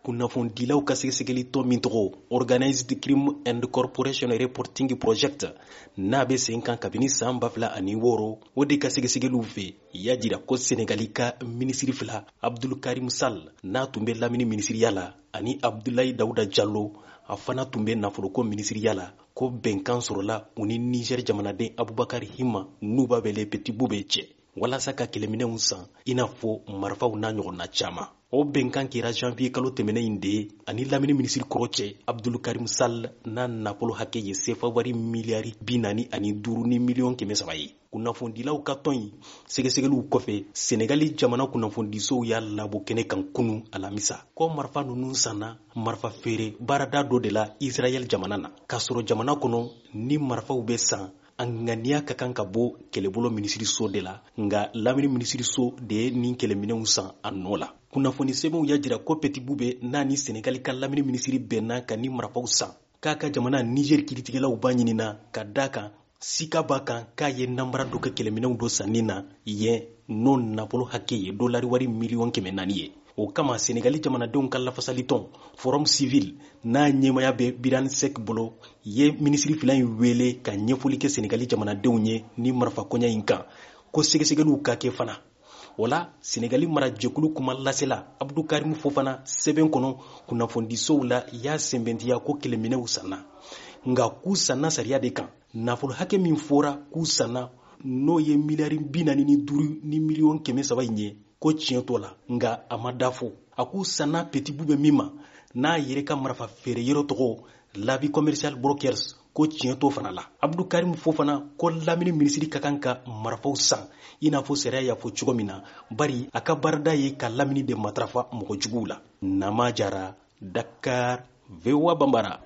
Kunnafonidilaw ka sɛgɛsɛgɛli tɔn min tɔgɔ Organized Crime and Corporation Reporting Project, n'a bɛ sen kan kabini san 2006, o de ka sɛgɛsɛgɛliw fɛ y'a jira ko Senegali ka minisiri fila, Abdul Karim Sall, n'a tun bɛ lamini minisiriya la, ani Abdoulaye Daouda Diallo, a fana tun bɛ nafoloko minisiriya la, ko bɛnkan sɔrɔla u ni Niger jamanaden Abubakar Hima, n'u b'a wele Petit Boubé cɛ, walasa ka kɛlɛminɛnw san, i n'a fɔ marifaw n'a ɲɔgɔnna caman. O bɛnkan kɛra janvier kalo tɛmɛnen in de ani lamini minisiri kɔrɔ cɛ, Abdul Karim Sall, n'a nafolo hakɛ ye sefa wari miliyari 45 ni miliyɔn 300 ye. Kunnafonidilaw ka tɔn in sɛgɛsɛgɛliw kɔfɛ, Senegali jamana kunnafonidisow y'a labɔ kɛnɛ kan kunu alamisa ko marifa ninnu sanna marifa feere baarada dɔ de la Israɛl jamana na, k'a sɔrɔ jamana kɔnɔ ni marifaw bɛ san, a ŋaniya ka kan ka bɔ kɛlɛbolo minisiriso de la, nka lamini minisiriso de ye nin kɛlɛminɛnw san a nɔ la. Kunnafoni sɛbɛnw y'a jira ko Petit Boubé n'a ni Senegali ka lamini minisiri bɛnna ka ni marifaw san, k'a ka jamana Niger kiritigɛlaw b'a ɲinina ka da kan sika b'a kan k'a ye nanbara dɔ kɛ kɛlɛminɛnw dɔ sanni na yen, n'o nafolo hakɛ ye dolari wari miliyɔn 400 ye. O kama, Senegali jamanadenw ka lafasalitɔn Forum Civil, n'a ɲɛmaya bɛ Biran Sek bolo, ye minisiri fila in wele ka ɲɛfɔli kɛ Senegali jamanadenw ye ni marifa koɲa in kan, ko sɛgɛsɛgɛliw ka kɛ fana. O la, Senegali marajɛkulu kuma lasela Abdou Karim Fofana sɛbɛn kɔnɔ kunnafonidisow la y'a sɛnbɛntiya ko kɛlɛminɛw sanna, nka k'u sanna sariya de kan. Nafolo hakɛ min fɔra k'u sanna, n'o ye miliyari 45 ni miliyɔn 300 in ye, ko tiɲɛ t'o la, nka a ma da fɔ a k'u sanna Petit Boubé min ma, n'a yɛrɛ ka marifa feere yɔrɔ tɔgɔ Labi Commercial Brokers, ko tiɲɛ t'o fana la. Abdou Karim Fofana ko lamini minisiri ka kan ka marifaw san i n'a fɔ sariya y'a fɔ cogo min na, bari a ka baarada ye ka lamini de matarafa mɔgɔ juguw la. Nama Jara, Dakar, VOA Bambara.